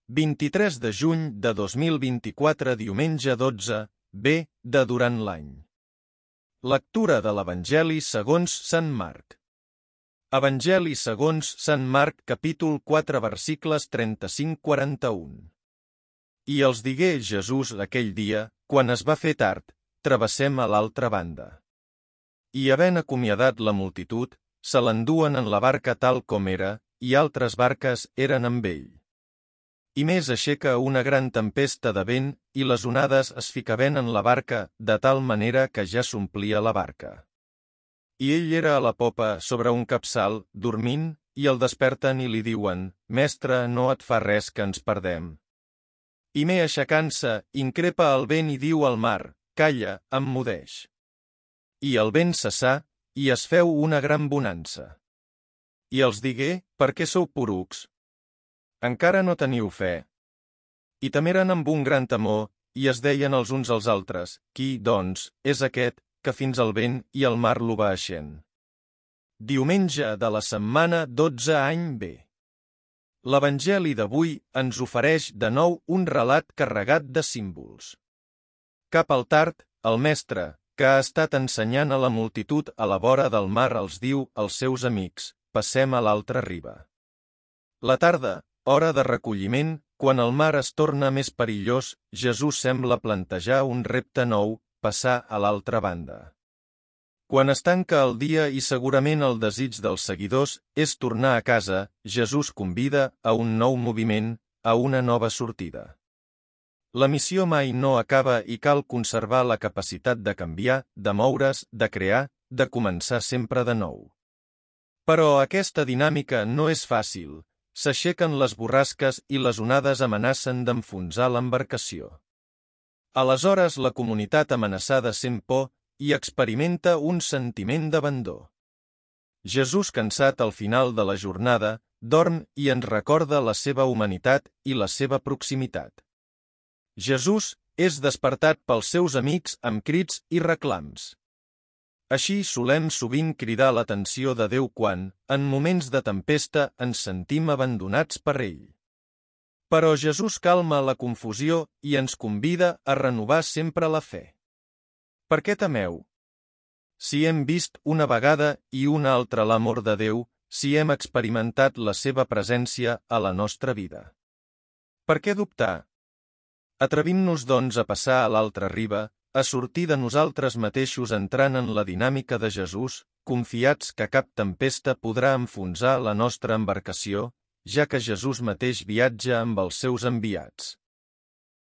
23 de juny de 2024, diumenge 12, B, de durant l'any. Lectura de l'Evangeli segons Sant Marc. Evangeli segons Sant Marc, capítol 4, versicles 35-41. I els digué Jesús aquell dia, quan es va fer tard, travessem a l'altra banda. I havent acomiadat la multitud, se l'enduen en la barca tal com era, i altres barques eren amb ell. I més aixeca una gran tempesta de vent, i les onades es ficaven en la barca, de tal manera que ja s'omplia la barca. I ell era a la popa sobre un capçal, dormint, i el desperten i li diuen: «Mestre, no et fa res que ens perdem». I me aixecant-se, increpa el vent i diu al mar: «Calla, emmudeix». I el vent cessà, i es feu una gran bonança. I els digué: «Per què sou porucs? Encara no teniu fe?» I temeren amb un gran temor, i es deien els uns als altres: «Qui, doncs, és aquest, que fins al vent i el mar l'obeeixen?» Diumenge de la setmana 12 any B. L'Evangeli d'avui ens ofereix de nou un relat carregat de símbols. Cap al tard, el mestre, que ha estat ensenyant a la multitud a la vora del mar, els diu als seus amics: «Passem a l'altra riba». La tarda, hora de recolliment, quan el mar es torna més perillós, Jesús sembla plantejar un repte nou: passar a l'altra banda. Quan es tanca el dia i segurament el desig dels seguidors és tornar a casa, Jesús convida a un nou moviment, a una nova sortida. La missió mai no acaba i cal conservar la capacitat de canviar, de moure's, de crear, de començar sempre de nou. Però aquesta dinàmica no és fàcil. S'aixequen les borrasques i les onades amenacen d'enfonsar l'embarcació. Aleshores la comunitat amenaçada sent por i experimenta un sentiment d'abandó. Jesús, cansat al final de la jornada, dorm i ens recorda la seva humanitat i la seva proximitat. Jesús és despertat pels seus amics amb crits i reclams. Així solem sovint cridar l'atenció de Déu quan, en moments de tempesta, ens sentim abandonats per ell. Però Jesús calma la confusió i ens convida a renovar sempre la fe. Per què temeu? Si hem vist una vegada i una altra l'amor de Déu, si hem experimentat la seva presència a la nostra vida. Per què dubtar? Atrevim-nos, doncs, a passar a l'altra riba, a sortir de nosaltres mateixos entrant en la dinàmica de Jesús, confiats que cap tempesta podrà enfonsar la nostra embarcació, ja que Jesús mateix viatja amb els seus enviats.